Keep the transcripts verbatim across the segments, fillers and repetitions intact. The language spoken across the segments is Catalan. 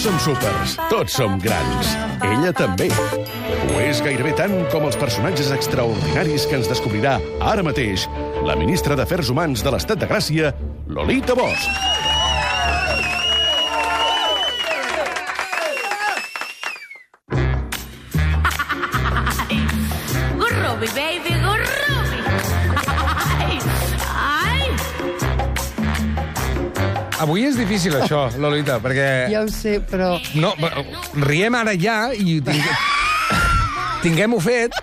som súpers, tots som grans. Ella també. Ho és gairebé tant com els personatges extraordinaris que ens descobrirà ara mateix la ministra d'Afers Humans de l'Estat de Gràcia, Lolita Bosch. Gurrubi, baby, gurrubi. Ai, ai. Avui és difícil, això, Lolita, perquè... Ja ho sé, però... No, riem ara ja i tinguem... tinguem-ho fet,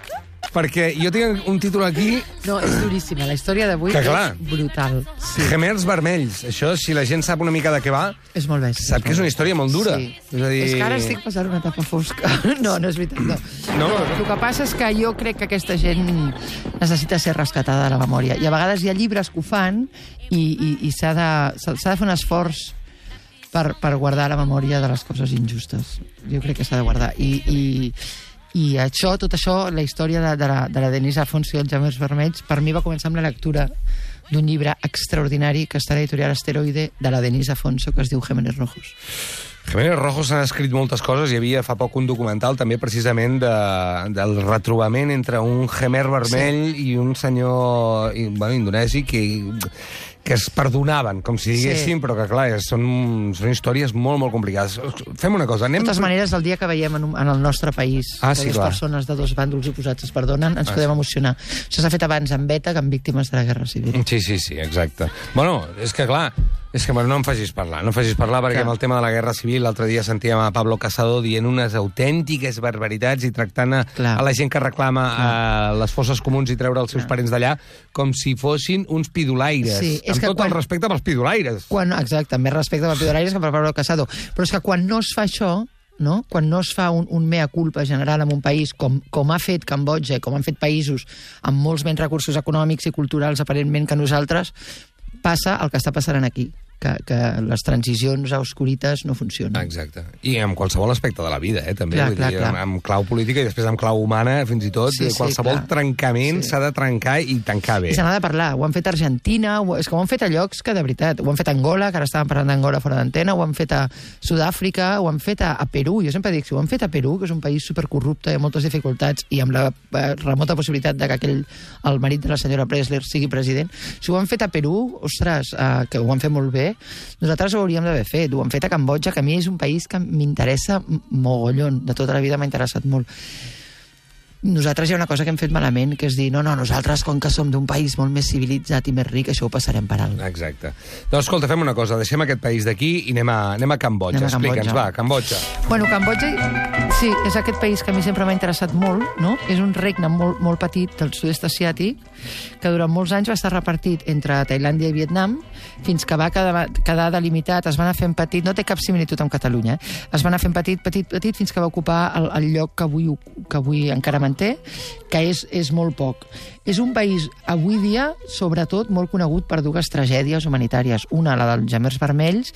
perquè jo tinc un títol aquí... No, és duríssima. La història d'avui és brutal. Sí. Gemers vermells. Això, si la gent sap una mica de què va... És molt bèstia. Sap que és una història molt dura. Sí. És a dir... És que ara estic passant una etapa fosca. No, no és veritat, no. No? no. El que passa és que jo crec que aquesta gent necessita ser rescatada de la memòria. I a vegades hi ha llibres que ho fan i, i, i s'ha de, s'ha de fer un esforç per, per guardar la memòria de les coses injustes. Jo crec que s'ha de guardar. I... i I això, tot això, la història de, de, la, de la Denise Afonso i els Gemers Vermells, per mi va començar amb la lectura d'un llibre extraordinari que està a l'editorial Asteroide de la Denise Afonso, que es diu Gémenes Rojos. Gémenes Rojos s'han escrit moltes coses. Hi havia fa poc un documental també precisament de, del retrobament entre un gemer vermell sí. i un senyor bueno, indonesi que... que es perdonaven, com si diguéssim, sí. però que, clar, són, són històries molt, molt complicades. Fem una cosa, anem... De totes maneres, el dia que veiem en, un, en el nostre país ah, que sí, dues clar. persones de dos bàndols oposats es perdonen, ens ah, podem sí. emocionar. Això s'ha fet abans amb Beta que amb víctimes de la Guerra Civil. Sí, sí, sí, exacte. Bueno, és que, clar, és que bueno, no em facis parlar, no em facis parlar perquè clar. Amb el tema de la Guerra Civil l'altre dia sentíem a Pablo Casado dient unes autèntiques barbaritats i tractant a, a la gent que reclama a les fosses comuns i treure els seus clar. Parents d'allà com si fossin uns pidolaires. Sí, amb tot quan... el respecte pels pidolaires. Quan, exacte, més respecte pels pidolaires que per Pablo Casado. Però és que quan no es fa això, no? Quan no es fa un, un mea culpa general en un país com, com ha fet Cambodja, com han fet països amb molts menys recursos econòmics i culturals aparentment que nosaltres, passa el que està passant aquí. Que, que les transicions oscurites no funcionen. Exacte. I en qualsevol aspecte de la vida, eh, també. Clar, Vull clar, dir, clar. Amb, amb clau política i després amb clau humana, fins i tot, sí, sí, qualsevol clar. trencament s'ha sí. de trencar i tancar bé. I se n'ha de parlar. Ho han fet a Argentina, ho, és que ho han fet a llocs que, de veritat, ho han fet a Angola, que ara estàvem parlant d'Angola fora d'antena, ho han fet a Sud-àfrica, ho han fet a, a Perú. Jo sempre dic, si ho han fet a Perú, que és un país supercorrupte i amb moltes dificultats, i amb la eh, remota possibilitat de que aquell, el marit de la senyora Pressler sigui president, si ho han fet a Perú, ostres, eh, que ho han fet molt bé, nosaltres ho hauríem d'haver fet. Ho han fet a Cambodja, que a mi és un país que m'interessa mogollon. De tota la vida m'ha interessat molt. Nosaltres hi ha una cosa que hem fet malament, que és dir, no, no, nosaltres, com que som d'un país molt més civilitzat i més ric, això ho passarem per alt. Exacte. Doncs, escolta, fem una cosa, deixem aquest país d'aquí i anem a, anem a Cambodja. Anem a Explica'ns, va, Cambodja. Bueno, Cambodja, sí, és aquest país que a mi sempre m'ha interessat molt, no? És un regne molt, molt petit del sud-est asiàtic, que durant molts anys va estar repartit entre Tailàndia i Vietnam, fins que va quedar, quedar delimitat, es va anar fent petit, no té cap similitud amb Catalunya, eh? Es va anar fent petit, petit, petit, fins que va ocupar el, el lloc que avui, que avui encara manté, que és, és molt poc. És un país, avui dia, sobretot, molt conegut per dues tragèdies humanitàries. Una, la dels Gemers Vermells,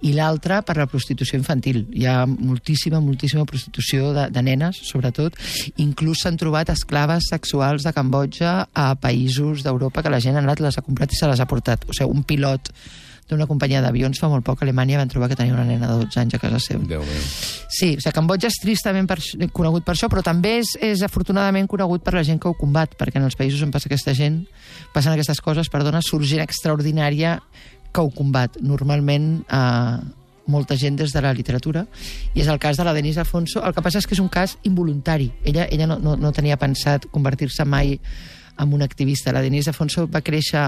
i l'altra per la prostitució infantil. Hi ha moltíssima, moltíssima prostitució de, de nenes, sobretot. Inclús s'han trobat esclaves sexuals de Cambodja a països d'Europa que la gent ha anat, les ha comprat i se les ha portat. O sigui, un pilot d'una companyia d'avions fa molt poc a Alemanya van trobar que tenia una nena de dotze anys a casa seva. Déu meu. Sí, o sigui, Cambodja és tristament per, conegut per això, però també és, és afortunadament conegut per la gent que ho combat, perquè en els països on passa aquesta gent, passen aquestes coses, perdona, surt gent extraordinària que ho combat. Normalment, eh, molta gent des de la literatura, i és el cas de la Denise Afonso. El que passa és que és un cas involuntari. Ella, ella no, no, no tenia pensat convertir-se mai amb un activista. La Denise Afonso va créixer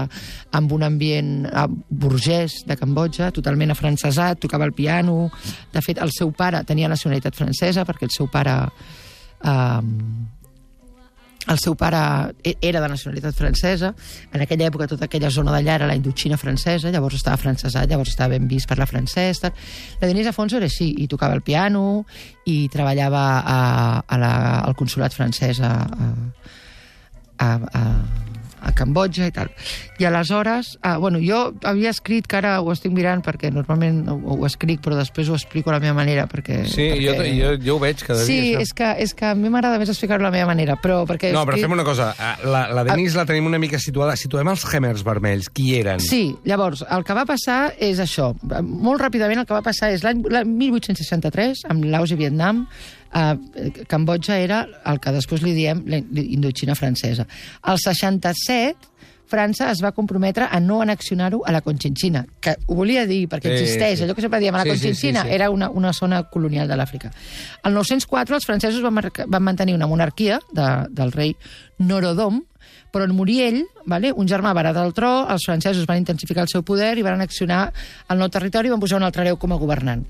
amb un ambient burgès de Cambodja, totalment afrancesat, tocava el piano. De fet, el seu pare tenia nacionalitat francesa, perquè el seu pare... Eh, el seu pare era de nacionalitat francesa. En aquella època tota aquella zona d'allà era la Indoxina francesa, llavors estava francesat, llavors estava ben vist per la francès. Tal. La Denise Afonso era així, i tocava el piano, i treballava a, a la, al consolat francès a, a, a, a, a Cambodja i tal. I aleshores, ah, bueno, jo havia escrit, que ara ho estic mirant, perquè normalment ho, ho escric, però després ho explico a la meva manera, perquè... Sí, perquè... Jo, jo, jo ho veig cada sí, dia. Sí, és que, és que a mi m'agrada més explicar-ho a la meva manera, però perquè... No, però escrit... fem una cosa, la, la Denise a... la tenim una mica situada. Situem els Khmers vermells, qui eren? Sí, llavors, el que va passar és això. Molt ràpidament el que va passar és l'any mil vuit-cents seixanta-tres, amb Laos i Vietnam, eh, Cambodja era el que després li diem la Indoxina francesa. Al seixanta-set, França es va comprometre a no annexionar-ho a la Conchinchina, que ho volia dir perquè existeix, sí, sí. Allò que sempre diem, a la sí, Conchinchina sí, sí, sí. Era una, una zona colonial de l'Àfrica. Al nou-cents quatre els francesos van, marcar, van mantenir una monarquia de, del rei Norodom, però en morir ell, vale, un germà va heretar el tro, els francesos van intensificar el seu poder i van annexionar el nou territori i van posar un altre hereu com a governant.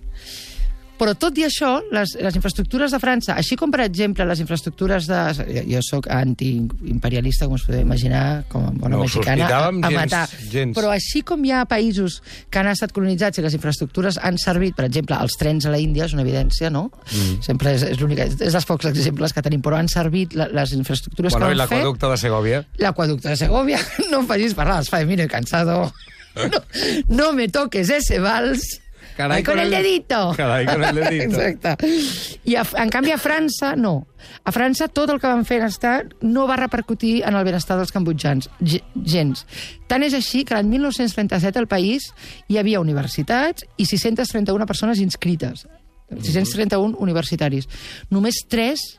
Però tot i això, les, les infraestructures de França, així com, per exemple, les infraestructures de... Jo, jo soc antiimperialista, com us podeu imaginar, com a bona no, mexicana, a, a matar. Gens. Però així com hi ha països que han estat colonitzats i les infraestructures han servit, per exemple, els trens a la Índia, és una evidència, no? Mm. Sempre és, és l'única... És dels pocs exemples que tenim, però han servit la, les infraestructures bueno, que han fet... Bueno, i l'aqüeducte de Segòvia. L'aqüeducte de Segòvia. No em facis parlar, els Faemino i Cansado. No, no me toques ese vals... Carai, con, con el dedito. Carai, con el dedito. Exacte. I a, en canvi a França, no. A França tot el que van fer en estat no va repercutir en el benestar dels cambodjans. Gens. Tant és així que l'any mil nou-cents trenta-set al país hi havia universitats i sis-centes trenta-una persones inscrites. sis-cents trenta-un universitaris. Només tres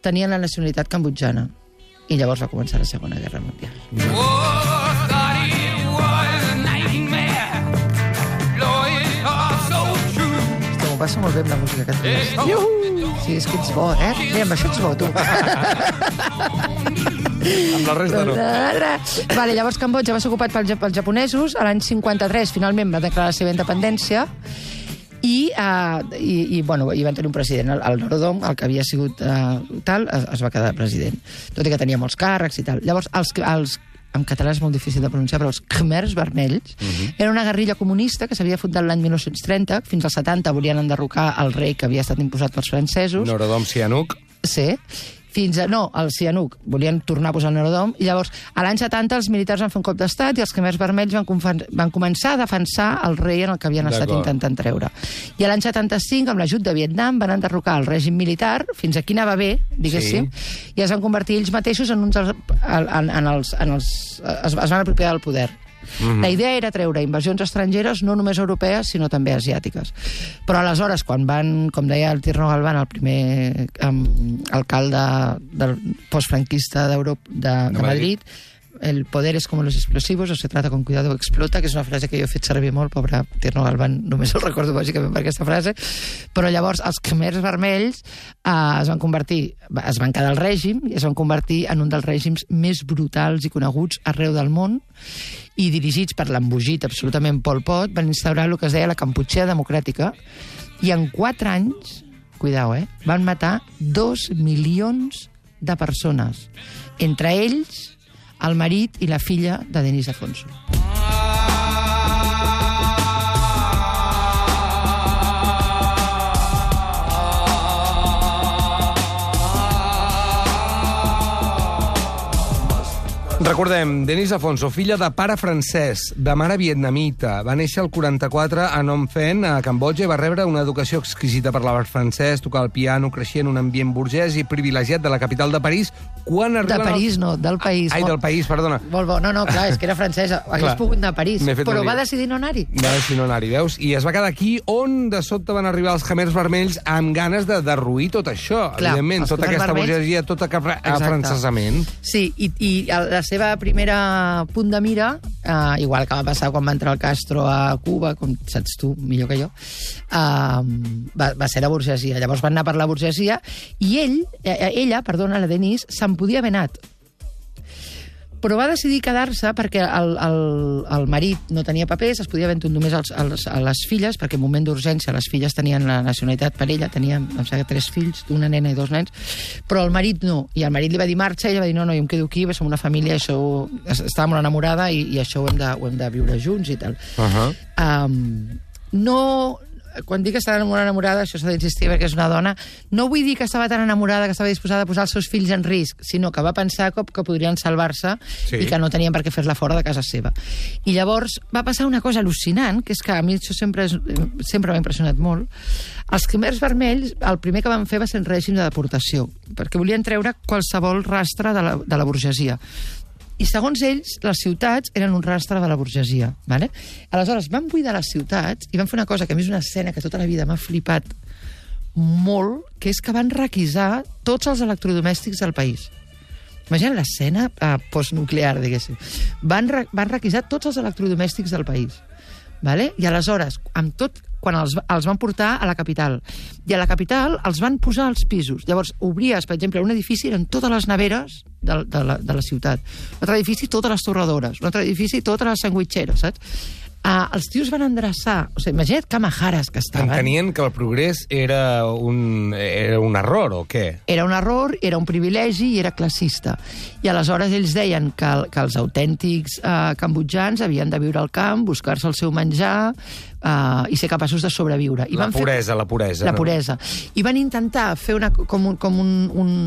tenien la nacionalitat cambodjana. I llavors va començar la Segona Guerra Mundial. Oh, passa molt bé amb la música que tens. Iuhu! Sí, és que ets bo, eh? Bé, amb això ets bo, tu. Amb la resta no. Vale, llavors Cambodja va ser ocupat pels, pels japonesos. A l'any cinquanta-tres, finalment, va declarar la seva independència i, uh, i, i, bueno, i van tenir un president. El, el Norodom, el que havia sigut uh, tal, es, es va quedar president. Tot i que tenia molts càrrecs i tal. Llavors, els, els en català és molt difícil de pronunciar, però els Khmers vermells, uh -huh. era una guerrilla comunista que s'havia fundat l'any mil nou-cents trenta, fins als setanta volien enderrocar el rei que havia estat imposat pels francesos. Norodom Sihanouk. Sí. Fins a, no, el Sihanouk, volien tornar a posar el Norodom, i llavors, a l'any setanta, els militars van fer un cop d'estat i els Khmers vermells van, van començar a defensar el rei en el que havien estat intentant treure. I a l'any setanta-cinc, amb l'ajut de Vietnam, van enderrocar el règim militar, fins aquí anava bé, diguéssim, sí. I es van convertir ells mateixos en uns... En, en els, en els, es, es van apropiar del poder. Mm-hmm. La idea era treure invasions estrangeres no només europees, sinó també asiàtiques. Però aleshores, quan van, com deia el Tierno Galván, el primer um, alcalde del postfranquista d'Europa, de, de, de Madrid, el poder es como los explosivos, o se trata con cuidado o explota, que és una frase que jo he fet servir molt, pobre Tierno Galván, només el recordo bàsicament per aquesta frase, però llavors els Khmers vermells eh, es van convertir, es van quedar al règim i es van convertir en un dels règims més brutals i coneguts arreu del món, i dirigits per l'embogit absolutament Pol Pot, van instaurar el que es deia la Kampuchea democràtica, i en quatre anys, cuidao, eh, van matar dos milions de persones, entre ells el marit i la filla de Denis Afonso. Recordem, Denis Afonso, filla de pare francès, de mare vietnamita, va néixer al quaranta-quatre a Phnom Penh, a Cambodja, i va rebre una educació exquisita per l'art francès, tocar el piano, creixia en un ambient burgès i privilegiat de la capital de París. Quan de París, els... no, del país. Ai, del país, perdona. Molt bo. No, no, clar, és que era francesa. Hagués pogut anar a París, però va decidir no anar-hi. Va decidir no anar-hi, veus? I es va quedar aquí on de sobte van arribar els Khmers vermells amb ganes de derruir tot això, clar, evidentment, tota aquesta vermells... burgesia, tot aquest afrancesament. Sí, i, i la seva primera punt de mira, uh, igual que va passar quan va entrar el Castro a Cuba, com saps tu millor que jo, uh, va, va ser la burgesia. Llavors van anar per la burgesia i ell, eh, ella, perdona, la Denise, se'n podia haver anat. Però va decidir quedar-se perquè el, el, el marit no tenia papers, es podia haver entrat només als, als, a les filles, perquè en moment d'urgència les filles tenien la nacionalitat per ella, tenia, em sembla, tres fills, una nena i dos nens, però el marit no. I el marit li va dir marxa, i ella va dir no, no, jo em quedo aquí, som una família, això, estava molt enamorada i, i això ho hem, de, ho hem de viure junts i tal. Uh-huh. Um, no... quan dic que estava molt enamorada, això s'ha d'insistir perquè és una dona, no vull dir que estava tan enamorada que estava disposada a posar els seus fills en risc, sinó que va pensar que, que podrien salvar-se sí. i que no tenien per què fer-la fora de casa seva. I llavors va passar una cosa al·lucinant, que és que a mi això sempre, és, sempre m'ha impressionat molt. Els Khmers vermells, el primer que van fer va ser un règim de deportació, perquè volien treure qualsevol rastre de la, de la burgesia. I segons ells, les ciutats eren un rastre de la burgesia. Vale? Aleshores, van buidar les ciutats i van fer una cosa que a mi és una escena que tota la vida m'ha flipat molt, que és que van requisar tots els electrodomèstics del país. Imagina't l'escena uh, postnuclear, diguéssim. Van, re van requisar tots els electrodomèstics del país. Vale? I aleshores, amb tot, quan els, els van portar a la capital. I a la capital els van posar als pisos. Llavors, obries, per exemple, un edifici, eren totes les neveres de, de, la, de la ciutat. Un altre edifici, totes les torradores. Un altre edifici, totes les sandwitxeres, saps? Uh, els tios van endreçar... O sigui, imagina't que majares que estaven. Entenien que el progrés era un, era un error, o què? Era un error, era un privilegi i era classista. I aleshores ells deien que, que els autèntics uh, cambodjans havien de viure al camp, buscar-se el seu menjar uh, i ser capaços de sobreviure. I la van puresa, fer... la puresa. La no? puresa. I van intentar fer una, com un... Com un, un...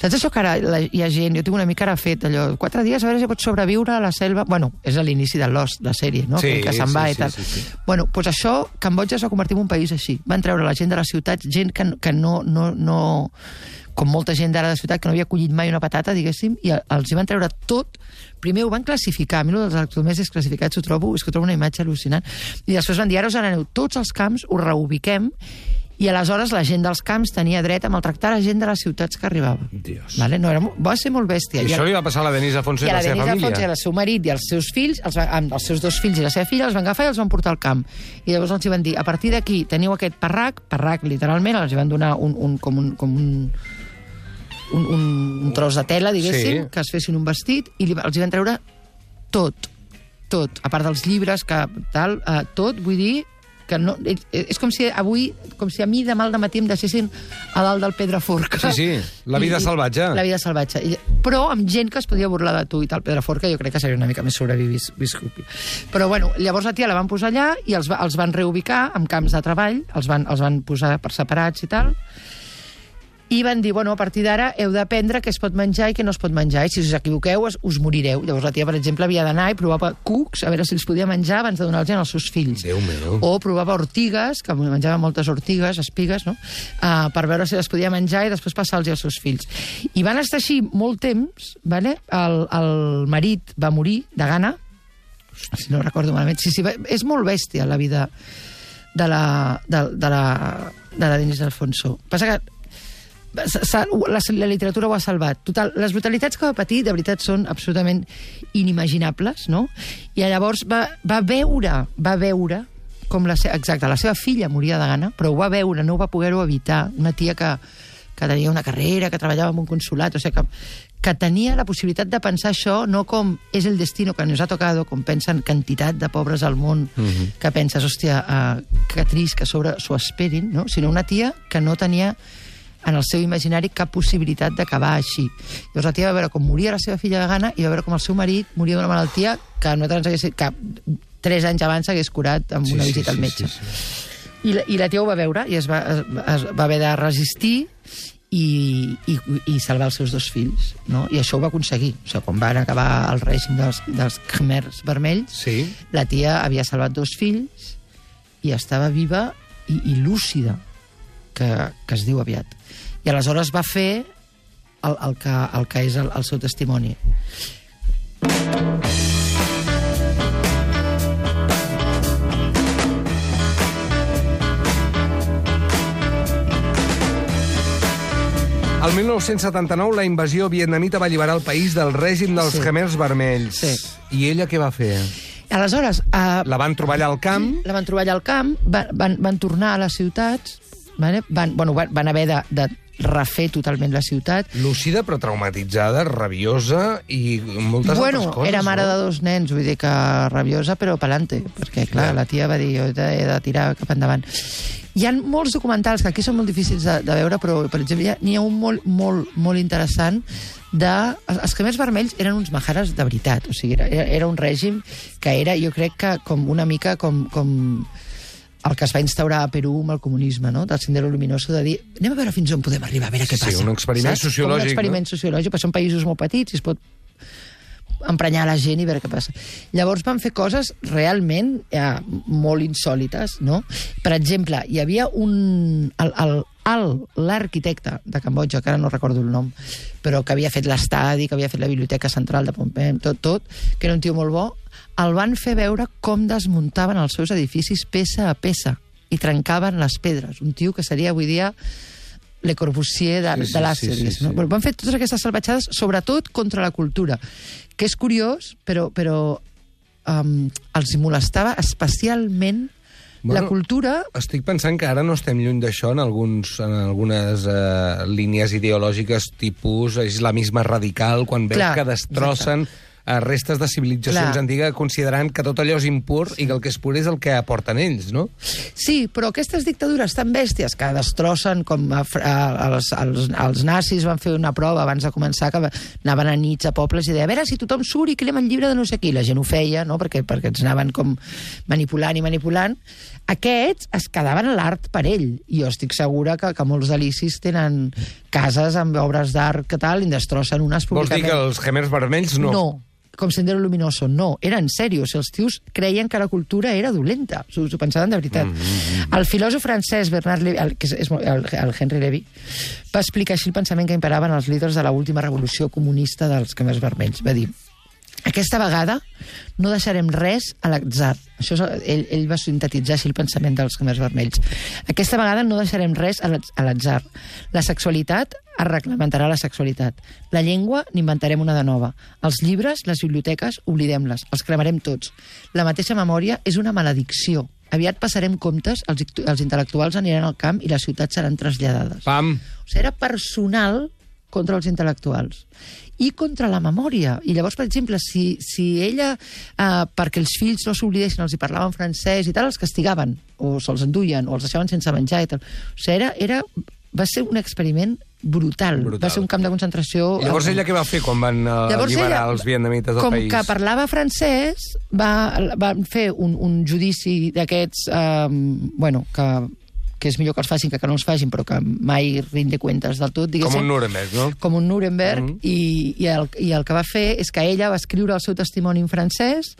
Saps això que ara la, hi ha gent, jo tinc una mica ara fet allò, quatre dies a veure si pots sobreviure a la selva... Bueno, és a l'inici de Lost, la sèrie, no? Sí, que se'n sí, va sí, i tal. Sí, sí, sí. Bueno, doncs això, Cambodja es va convertir en un país així. Van treure la gent de les ciutats, gent que, que no, no, no... Com molta gent d'ara de ciutat que no havia collit mai una patata, diguéssim, i els hi van treure tot. Primer ho van classificar, a mi dels electrodomèstics classificats ho trobo, és que ho trobo una imatge al·lucinant, i després van dir, ara us aneu tots els camps, us reubiquem, i aleshores la gent dels camps tenia dret a maltractar la gent de les ciutats que arribava. Dios. Vale? No, era, va ser molt bèstia. I, I això li va passar a la Denise Alfonso i, i a la, la seva Denise família. Alfonso i el seu marit i els seus fills, els, amb els seus dos fills i la seva filla, els van agafar i els van portar al camp. I llavors els van dir, a partir d'aquí teniu aquest parrac, parrac literalment, els van donar un, un, com un... Com un Un, un, un tros de tela, diguéssim, sí. que es fessin un vestit, i li, els hi van treure tot, tot, a part dels llibres, que tal, uh, tot, vull dir, que no, és, és com si avui, com si a mi demà al dematí em deixessin a dalt del Pedraforca. Sí, sí, la vida I, salvatge. La vida salvatge. I, però amb gent que es podia burlar de tu i tal. Pedraforca jo crec que seria una mica més sobreviscut. Però bueno, llavors la tia la van posar allà i els, va, els van reubicar en camps de treball, els van, els van posar per separats i tal, i van dir, bueno, a partir d'ara heu d'aprendre què es pot menjar i què no es pot menjar, i si us equivoqueu us, us morireu. Llavors la tia, per exemple, havia d'anar i provava cucs, a veure si els podia menjar abans de donar-los als seus fills. Déu meu. O provava ortigues, que menjava moltes ortigues, espigues, no? Uh, per veure si les podia menjar i després passar-los als seus fills. I van estar així molt temps, vale? el, el marit va morir de gana, si no recordo malament. Sí, sí, és molt bèstia la vida de la, de, de la, de la Denise Alfonso. Passa que La, la literatura ho ha salvat. Total, les brutalitats que va patir, de veritat, són absolutament inimaginables, no? I llavors va, va veure, va veure com la, exacte, la seva filla moria de gana, però ho va veure, no ho va poder-ho evitar. Una tia que, que tenia una carrera, que treballava en un consulat, o sigui, que, que tenia la possibilitat de pensar això no com és el destino que nos ha tocado, com pensen quantitat de pobres al món, uh-huh. que penses, hòstia, uh, que trist que sobre s'ho esperin, no? Sinó una tia que no tenia en el seu imaginari cap possibilitat d'acabar així. Llavors la tia va veure com moria la seva filla de gana i va veure com el seu marit moria d'una malaltia que nosaltres hagués, que tres anys abans s'hagués curat amb sí, una visita sí, al metge. Sí, sí, sí. I, la, I la tia ho va veure i es va, es, es va haver de resistir i, i, i salvar els seus dos fills, no? I això ho va aconseguir. O sigui, quan van acabar el règim dels, dels Khmers vermells, sí. la tia havia salvat dos fills i estava viva i, i lúcida, que, que es diu aviat. I aleshores va fer el, el, que, el que és el, el seu testimoni. El mil nou-cents setanta-nou la invasió vietnamita va alliberar el país del règim dels sí. Khmers vermells. Sí. I ella què va fer? Aleshores... Uh, la van trobar allà al camp? La van trobar allà al camp, van, van, van tornar a les ciutats, vale? van, bueno, van, van haver de... de refer totalment la ciutat. Lúcida, però traumatitzada, rabiosa i moltes bueno, altres coses. Era mare no? de dos nens, vull dir que rabiosa, però pelante, perquè, clar, yeah. la tia va dir, jo he de, he de tirar cap endavant. Hi ha molts documentals que aquí són molt difícils de, de veure, però, per exemple, n'hi ha un molt, molt, molt interessant de... Els Khmers vermells eren uns majares de veritat, o sigui, era, era un règim que era, jo crec que com una mica com... com el que es va instaurar a Perú amb el comunisme, no? Del Sendero Luminoso, de dir, anem a veure fins on podem arribar, a veure què sí, passa. Sí, un experiment saps? sociològic. Com un experiment no? sociològic, perquè són països molt petits i es pot emprenyar la gent i veure què passa. Llavors van fer coses realment eh, molt insòlites, no? Per exemple, hi havia un... El, el, l'arquitecte de Cambodja, que ara no recordo el nom, però que havia fet l'estadi, que havia fet la Biblioteca Central de Phnom Penh, tot, tot, que era un tio molt bo, el van fer veure com desmuntaven els seus edificis peça a peça i trencaven les pedres. Un tio que seria avui dia Le Corbusier de, sí, sí, de l'Àsia. Sí, sí, sí. No? Van fer totes aquestes salvatjades, sobretot contra la cultura, que és curiós, però, però um, els molestava especialment bueno, la cultura... Estic pensant que ara no estem lluny d'això en, alguns, en algunes uh, línies ideològiques tipus islamisme radical, quan veus Clar, que destrossen... Exacte. restes de civilitzacions Clar. antigues, considerant que tot allò és impur sí. i que el que és pur és el que aporten ells, no? Sí, però aquestes dictadures tan bèsties que destrossen, com a, a, els, els, els nazis van fer una prova abans de començar, que anaven a nits a pobles i deia, a veure si tothom surt i crema el llibre de no sé qui. La gent ho feia, no? perquè, perquè ens anaven com manipulant i manipulant. Aquests es quedaven a l'art per ell, i jo estic segura que, que molts delicis tenen cases amb obres d'art que tal, i en destrossen unes públicament. Vols dir que els Khmers vermells no? No. Com Sendero Luminoso, no, era en sèrio. Si els tios creien que la cultura era dolenta, s'ho pensaven de veritat. Mm -hmm. El filòsof francès Bernard Lévy, el, que és el, el Henry Lévy, va explicar així el pensament que imperaven els líders de l'última revolució comunista dels Khmers vermells. Va dir, aquesta vegada no deixarem res a l'atzar. Això és, ell, ell va sintetitzar així el pensament dels Khmers vermells. Aquesta vegada no deixarem res a l'atzar. La sexualitat es reglamentarà la sexualitat. La llengua n'inventarem una de nova. Els llibres, les biblioteques, oblidem-les. Els cremarem tots. La mateixa memòria és una maledicció. Aviat passarem comptes, els, els intel·lectuals aniran al camp i les ciutats seran traslladades. Pam! O sigui, era personal contra els intel·lectuals i contra la memòria. I llavors, per exemple, si, si ella, eh, perquè els fills no s'oblidessin, els hi parlaven francès i tal, els castigaven, o se'ls enduien, o els deixaven sense menjar i tal. O sigui, era, era, va ser un experiment brutal. brutal. Va ser un camp de concentració... I llavors ella què va fer quan van uh, alliberar ella, els vietnamites del com país? Com que parlava francès, va, va fer un, un judici d'aquests, eh, bueno, que... que és millor que els facin que que no els facin, però que mai rinde cuentes del tot, diguéssim. Com un Nuremberg, no? Com un Nuremberg, mm -hmm. i, i, el, i el que va fer és que ella va escriure el seu testimoni en francès,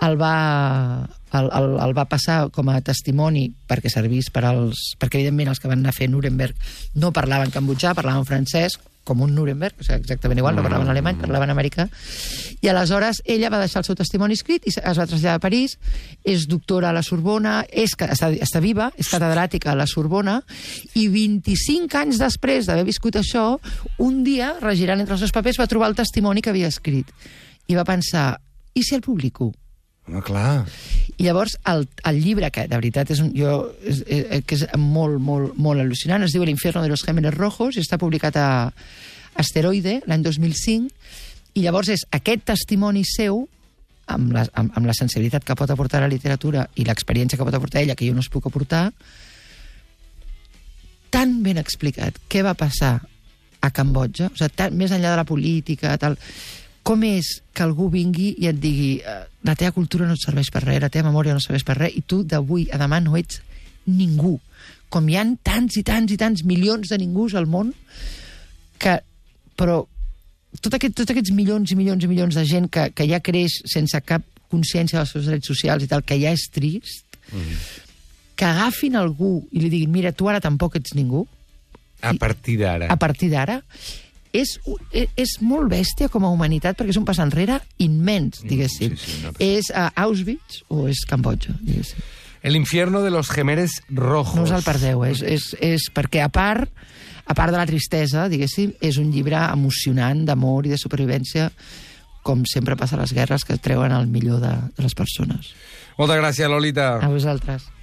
el va, el, el, el va passar com a testimoni perquè servís per als... perquè, evidentment, els que van anar a fer Nuremberg no parlaven cambodjà, parlaven francès, com un Nuremberg, o sigui, exactament igual, no parlaven alemany, parlaven americà, i aleshores ella va deixar el seu testimoni escrit i es va traslladar a París, és doctora a la Sorbona, és, està, està viva, és catedràtica a la Sorbona, i vint-i-cinc anys després d'haver viscut això, un dia, regirant entre els seus papers, va trobar el testimoni que havia escrit. I va pensar, i si el publico? Home, clar. I llavors el, el llibre, que de veritat és, un, jo, és, és, que és molt, molt, molt al·lucinant, es diu El infierno de los Khmeres rojos, i està publicat a Asteroide l'any dos mil cinc, i llavors és aquest testimoni seu, amb la, amb, amb la sensibilitat que pot aportar la literatura i l'experiència que pot aportar ella, que jo no es puc aportar, tan ben explicat què va passar a Cambodja, o sigui, tan, més enllà de la política, tal... Com és que algú vingui i et digui la teva cultura no et serveix per res, la teva memòria no et serveix per res, i tu d'avui a demà no ets ningú. Com hi ha tants i tants i tants milions de ningus al món, que, però tot aquest, tots aquests milions i milions i milions de gent que, que ja creix sense cap consciència dels seus drets socials i tal, que ja és trist, mm. que agafin algú i li diguin, mira, tu ara tampoc ets ningú. A partir d'ara. A partir d'ara. És, és molt bèstia com a humanitat perquè és un pas enrere immens, diguéssim. Sí, sí, no, és uh, Auschwitz o és Cambodja, diguéssim. El infierno de los Khmeres rojos. No us el perdeu, és, és, és perquè a part, a part de la tristesa, diguéssim, és un llibre emocionant d'amor i de supervivència, com sempre passa a les guerres, que treuen el millor de, de les persones. Moltes gràcies, Lolita. A vosaltres.